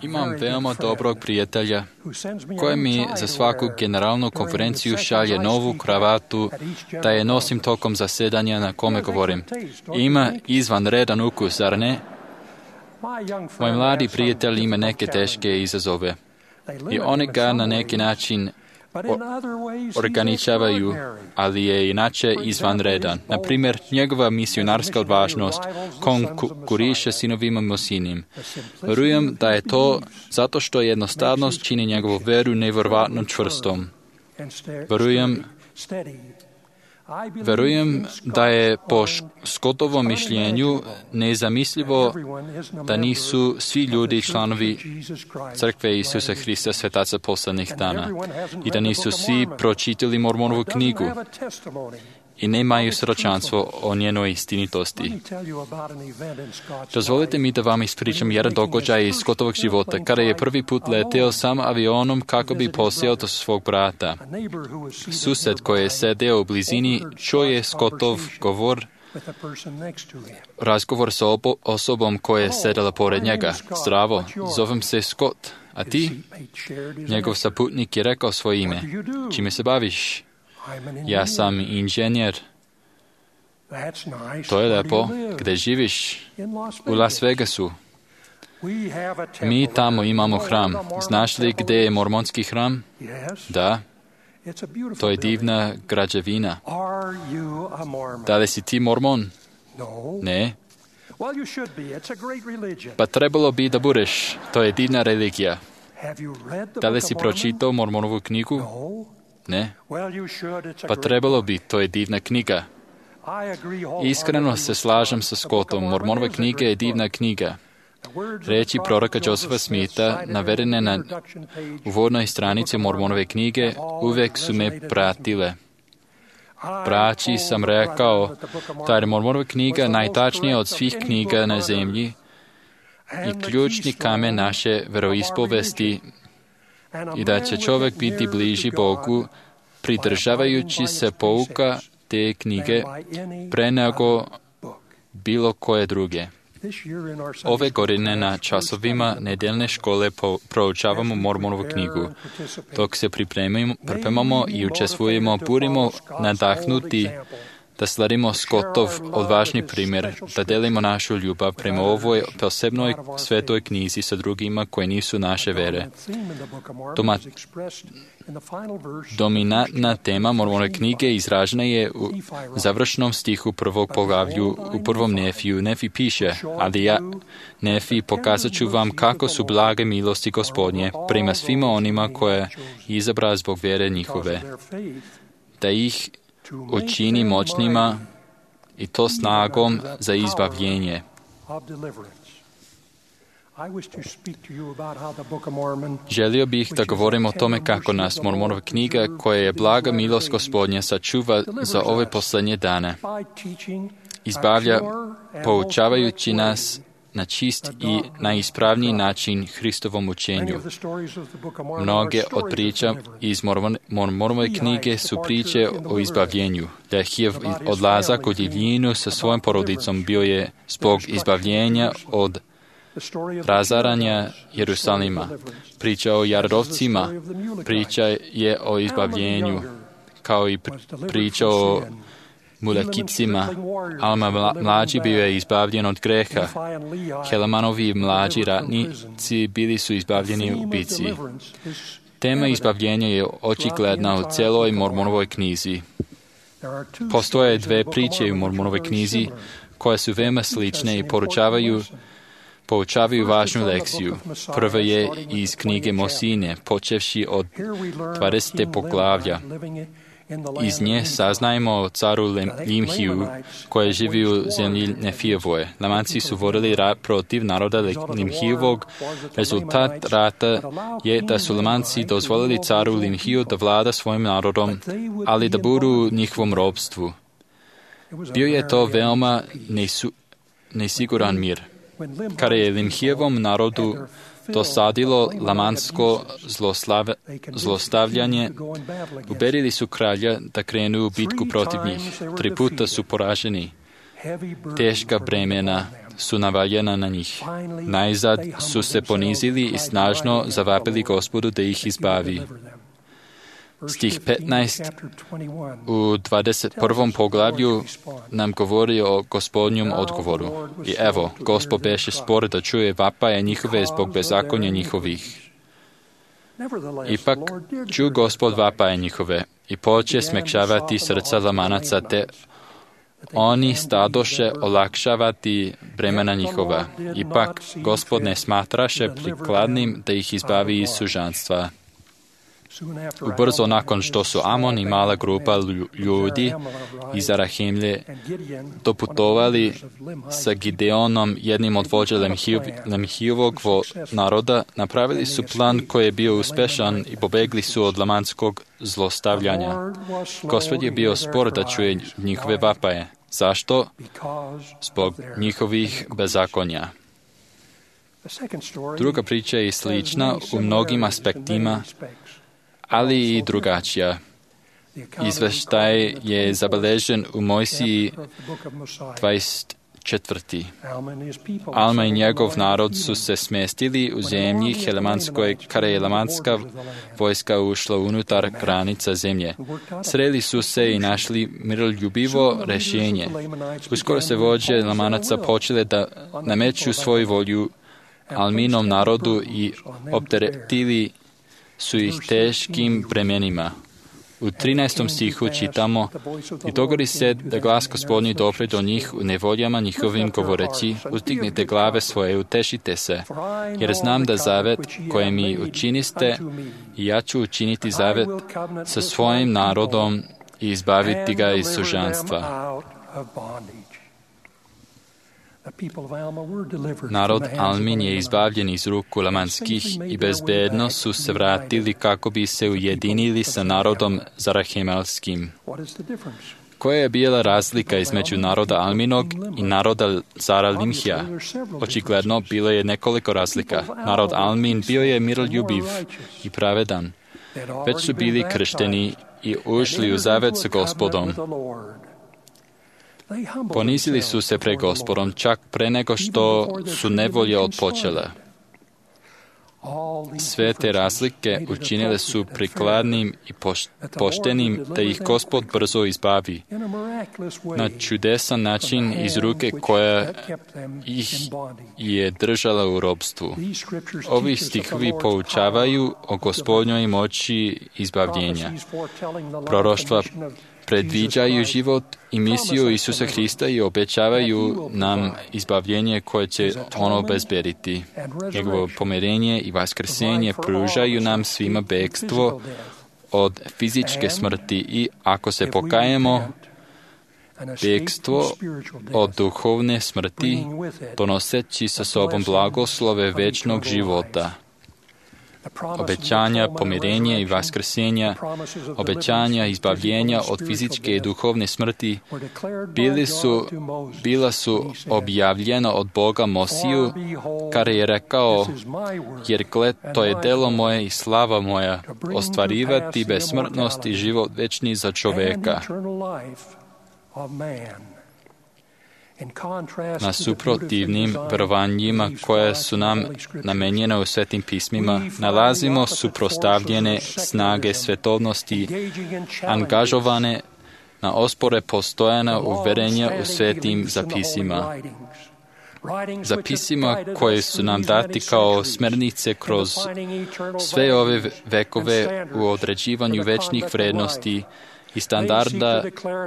Imam veoma dobrog prijatelja koji mi za svaku generalnu konferenciju šalje novu kravatu da je nosim tokom zasedanja na kome govorim. Ima izvanredan ukus, zar ne? Moj mladi prijatelj ima neke teške izazove i oni ga na neki način ograničavaju, ali je inače izvanredan. Na primjer, njegova misionarska odvažnost konkuriše sinovima Mosinim. Verujem da je to zato što jednostavnost čini njegovu veru nevjerovatno čvrstom. Verujem da je po Scottovom mišljenju nezamislivo da nisu svi ljudi članovi Crkve Isusa Hrista svetaca poslednjih dana i da nisu svi pročitali Mormonovu knjigu i nemaju svjedočanstvo o njenoj istinitosti. Dozvolite mi da vam ispričam jedan događaj iz Scottovog života, kada je prvi put leteo sam avionom kako bi posjeo do svog brata. Sused koji je sedeo u blizini čuo je Scottov razgovor sa osobom koja je sedela pored njega. Zdravo, zovem se Scott, a ti? Njegov saputnik je rekao svoje ime. Čime se baviš? Ja sam inženjer. To je lepo. Gde živiš? U Las Vegasu. Mi tamo imamo hram. Znaš li gde je mormonski hram? Da. To je divna građevina. Da li si ti mormon? Ne. Pa trebalo bi da budeš. To je divna religija. Da li si pročitao Mormonovu knjigu? Ne. Pa trebalo bi, to je divna knjiga. Iskreno se slažem sa Scottom. Mormonova knjiga je divna knjiga. Reči proroka Josepha Smitha, navedene na uvodnoj stranici Mormonove knjige, uvek su me pratile. Braći sam rekao da je Mormonova knjiga najtačnija od svih knjiga na zemlji i ključni kamen naše veroispovesti i da će čovjek biti bliži Bogu pridržavajući se pouka te knjige pre nego bilo koje druge. Ove godine na časovima nedeljne škole proučavamo Mormonovu knjigu. Dok se pripremamo i učestvujemo, budimo nadahnuti da sledimo Scottov odvažni primjer, da delimo našu ljubav prema ovoj posebnoj svetoj knjizi sa drugima koji nisu naše vere. Dominantna tema Mormonove knjige izražena je u završnom stihu prvog poglavlju u prvom Nefiju. Nefi piše, ali ja, Nefi, pokazat ću vam kako su blage milosti Gospodnje prema svima onima koje izabra zbog vere njihove, da ih učini moćnima i to snagom za izbavljenje. Želio bih da govorim o tome kako nas Mormonova knjiga, koja je blaga milost Gospodnja, sačuva za ove posljednje dane. Izbavlja poučavajući nas na čist i najispravniji način Hristovom učenju. Mnoge od priča iz Mormonove knjige su priče o izbavljenju. Lehijev odlazak u divljinu sa svojom porodicom bio je zbog izbavljenja od razaranja Jerusalima. Priča o jarodovcima, priča je o izbavljenju, kao i priča o Mulekicima. Alma mlađi bio je izbavljen od greha. Helamanovi mlađi ratnici bili su izbavljeni u bici. Tema izbavljenja je očigledna u celoj Mormonovoj knjizi. Postoje dve priče u Mormonovoj knjizi koje su veoma slične i poučavaju važnu lekciju. Prva je iz knjige Mosine, počevši od 20. poglavlja. Iz nje saznajemo o caru Limhiju, koji živi u zemlji Nefijevoj. Lamanci su vodili rat protiv naroda Limhijevog. Rezultat rata je da su Lamanci dozvolili caru Limhiju da vlada svojim narodom, ali da budu u njihovom robstvu. Bio je to veoma nesiguran mir. Kada je Limhijevom narodu dosadilo lamansko zlostavljanje, uberili su kralja da krenu u bitku protiv njih. 3 puta su poraženi. teška bremena su navaljena na njih. Najzad su se ponizili i snažno zavapili Gospodu da ih izbavi. Stih 15 u 21. poglavlju nam govori o Gospodnjem odgovoru. I evo, Gospod beše spor da čuje vapaje njihove zbog bezakonja njihovih. Ipak ču Gospod vapaje njihove i poče smekšavati srca lamanaca, te oni stadoše olakšavati bremena njihova. Ipak Gospod ne smatraše prikladnim da ih izbavi iz sužanstva. Ubrzo nakon što su Amon i mala grupa ljudi iz Arahimlje doputovali sa Gideonom, jednim od vođa Lemhijevog naroda, napravili su plan koji je bio uspešan i pobegli su od lamanskog zlostavljanja. Gospod je bio spor da čuje njihove vapaje. Zašto? Zbog njihovih bezakonja. Druga priča je slična u mnogim aspektima, ali i drugačija. Izveštaj je zabeležen u Mojsiji 24. Alma i njegov narod su se smestili u zemlji Helemanskoj, kada je Helemanska vojska ušla unutar granica zemlje. Sreli su se i našli miroljubivo rešenje. Uskoro se vođe Lamanaca počele da nameću svoju volju Alminom narodu i opteretili su ih teškim bremenima. U 13. stihu čitamo: I dogodi se da glas Gospodnji dopre do njih u nevoljama njihovim govoreći: uzdignite glave svoje, utešite se, jer znam da zavet koje mi učiniste, i ja ću učiniti zavet sa svojim narodom i izbaviti ga iz sužanstva. Narod Almin je izbavljen iz ruku lamanskih i bezbedno su se vratili kako bi se ujedinili sa narodom Zarahemelskim. Koja je bila razlika između naroda Alminog i naroda Zaralimhija? Očigledno bilo je nekoliko razlika. Narod Almin bio je miroljubiv i pravedan. Već su bili kršteni i ušli u zavet sa Gospodom. Ponizili su se pred Gospodom čak pre nego što su nevolje odpočele. Sve te razlike učinile su prikladnim i poštenim da ih Gospod brzo izbavi na čudesan način iz ruke koja ih je držala u robstvu. Ovi stihovi poučavaju o Gospodnjoj moći izbavljenja. Proroštva predviđaju život i misiju Isusa Hrista i obećavaju nam izbavljenje koje će ono obezbediti. Njegovo pomirenje i vaskrsenje pružaju nam svima bekstvo od fizičke smrti i, ako se pokajemo, bekstvo od duhovne smrti, donoseći sa sobom blagoslove večnog života. Obećanja pomirenja i vaskrsenja, obećanja izbavljenja od fizičke i duhovne smrti bila su objavljena od Boga Mosiju, kada je rekao: jer gled, to je delo moje i slava moja, ostvarivati besmrtnost i život večni za čoveka. Nasuprotivnim verovanjima koje su nam namenjene u Svetim pismima, nalazimo suprostavljene snage svetovnosti, angažovane na ospore postojana uverenja u Svetim zapisima. Zapisima koje su nam dati kao smernice kroz sve ove vekove u određivanju večnih vrednosti i standarda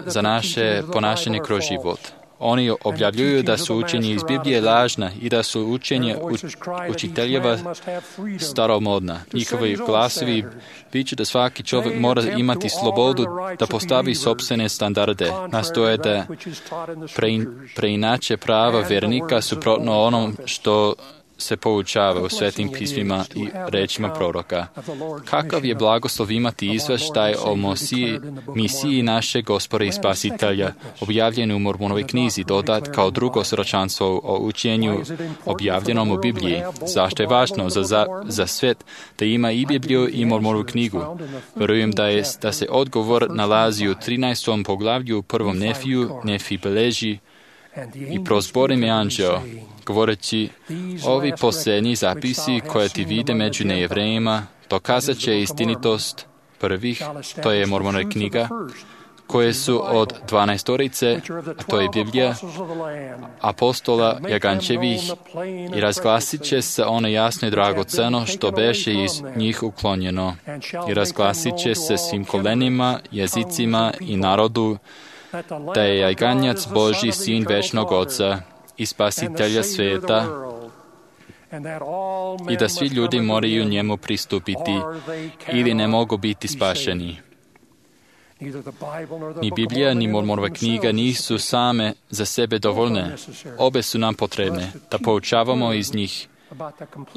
za naše ponašanje kroz život. Oni objavljuju da su učenje iz Biblije lažna i da su učenje učiteljeva staromodna. Njihovi glasovi viču da svaki čovjek mora imati slobodu da postavi sopstvene standarde. Nastoje da preinače prava vernika suprotno onom što se poučava u Svetim pismima i rečima proroka. Kakav je blagoslov imati izveštaj o misiji našeg Gospoda i Spasitelja, objavljen u Mormonovoj knjizi, dodat kao drugo svjedočanstvo o učenju objavljenom u Bibliji. Zašto je važno za svet da ima i Bibliju i Mormonovu knjigu? Verujem da se odgovor nalazi u 13. poglavlju u 1. Nefiju. Nefi beleži: I prozbori mi anđeo, govoreći, ovi posljednji zapisi koje ti vide među nejevrejima, dokazat će istinitost prvih, to je Mormonova knjiga, koje su od 12-torice, a to je Biblija, apostola Jagančevih, i razglasit će se ono jasno i dragoceno što beše iz njih uklonjeno. I razglasit će se svim kolenima, jezicima i narodu, da je Jaganjac Božji sin večnog Oca i Spasitelja svijeta, i da svi ljudi moraju njemu pristupiti ili ne mogu biti spašeni. Ni Biblija, ni Mormonova knjiga nisu same za sebe dovoljne. Obe su nam potrebne, da poučavamo iz njih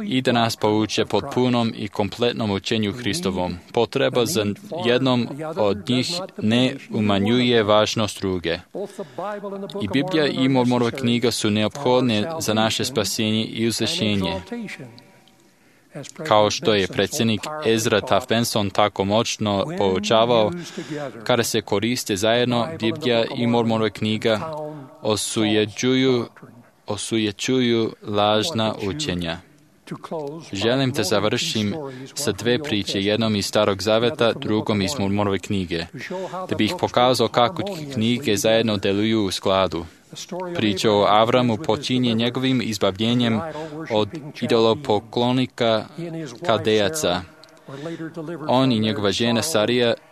i da nas pouče potpunom i kompletnom učenju Hristovom. Potreba za jednom od njih ne umanjuje važnost druge. I Biblija i Mormonova knjiga su neophodne za naše spasenje i uzvišenje. Kao što je predsjednik Ezra Taft Benson tako moćno poučavao, kada se koriste zajedno, Biblija i Mormonova knjiga osujećuju lažna učenja. Želim da završim sa dve priče, jednom iz Starog Zaveta, drugom iz Mormonove knjige, da bih pokazao kako knjige zajedno deluju u skladu. Priča o Avramu počinje njegovim izbavljenjem od idolopoklonika Kaldejaca. On i njegova žena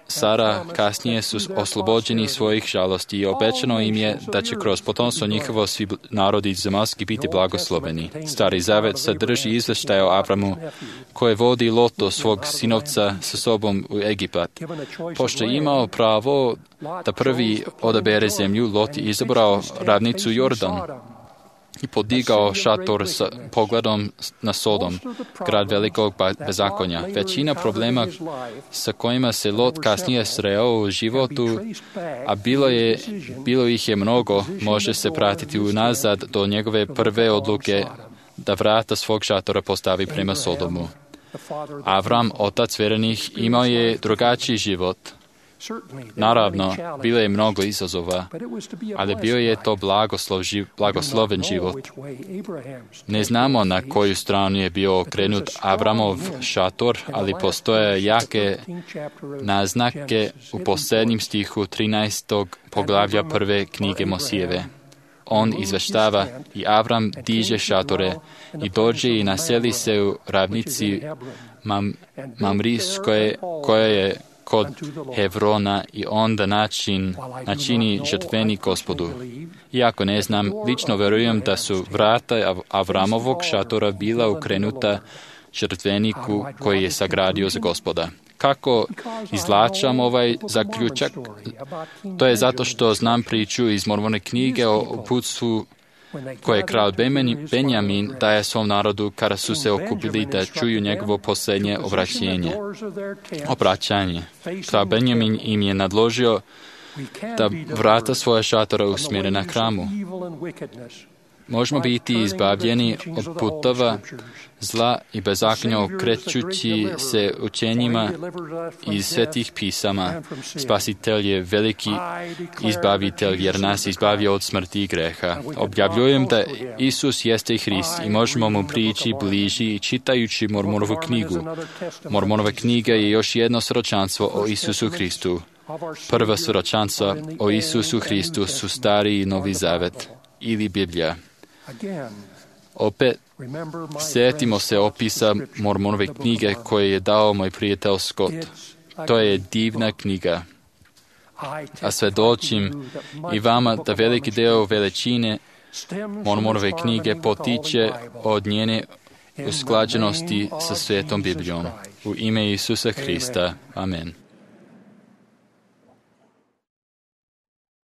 Sara kasnije su oslobođeni svojih žalosti i obećano im je da će kroz potomstvo njihovo svi narodi zemaljski biti blagosloveni. Stari Zavet sadrži izvještaj o Avramu koje vodi Loto svog sinovca sa sobom u Egipat. Pošto je imao pravo da prvi odabere zemlju, Lot je izabrao ravnicu Jordan i podigao šator sa pogledom na Sodom, grad velikog bezakonja. Većina problema sa kojima se Lot kasnije sreo u životu, a bilo ih je mnogo, može se pratiti unazad do njegove prve odluke da vrata svog šatora postavi prema Sodomu. Avram, otac vjernih, imao je drugačiji život. Naravno, bilo je mnogo izazova, ali bio je to blagosloven život. Ne znamo na koju stranu je bio okrenut Avramov šator, ali postoje jake naznake u posljednjem stihu 13. poglavlja prve knjige Mosijeve. On izveštava i Avram diže šatore i dođe i naseli se u ravnici Mamrijskoj koja je kod Hevrona i onda načini žrtveni Gospodu. Iako ne znam, lično verujem da su vrata Avramovog šatora bila ukrenuta žrtveniku koji je sagradio za Gospoda. Kako izvlačam ovaj zaključak? To je zato što znam priču iz Mormonove knjige o uputstvu koje je kralj Benjamin daje svom narodu kada su se okupili da čuju njegovo posljednje obraćanje. Kralj Benjamin im je nadložio da vrata svoje šatora usmjere na hramu. Možemo biti izbavljeni od putova zla i bezakonja okrećući se učenjima iz svetih pisama. Spasitelj je veliki izbavitelj jer nas izbavio od smrti i greha. Objavljujem da Isus jeste Hrist i možemo mu prići bliži i čitajući Mormonovu knjigu. Mormonova knjiga je još jedno svjedočanstvo o Isusu Hristu. Prva svjedočanstva o Isusu Hristu su Stari i Novi Zavet ili Biblija. Opet, sjetimo se opisa Mormonove knjige koje je dao moj prijatelj Scott. To je divna knjiga. A svjedočim i vama da veliki deo veličine Mormonove knjige potiče od njene usklađenosti sa Svetom Biblijom. U ime Isusa Hrista. Amen.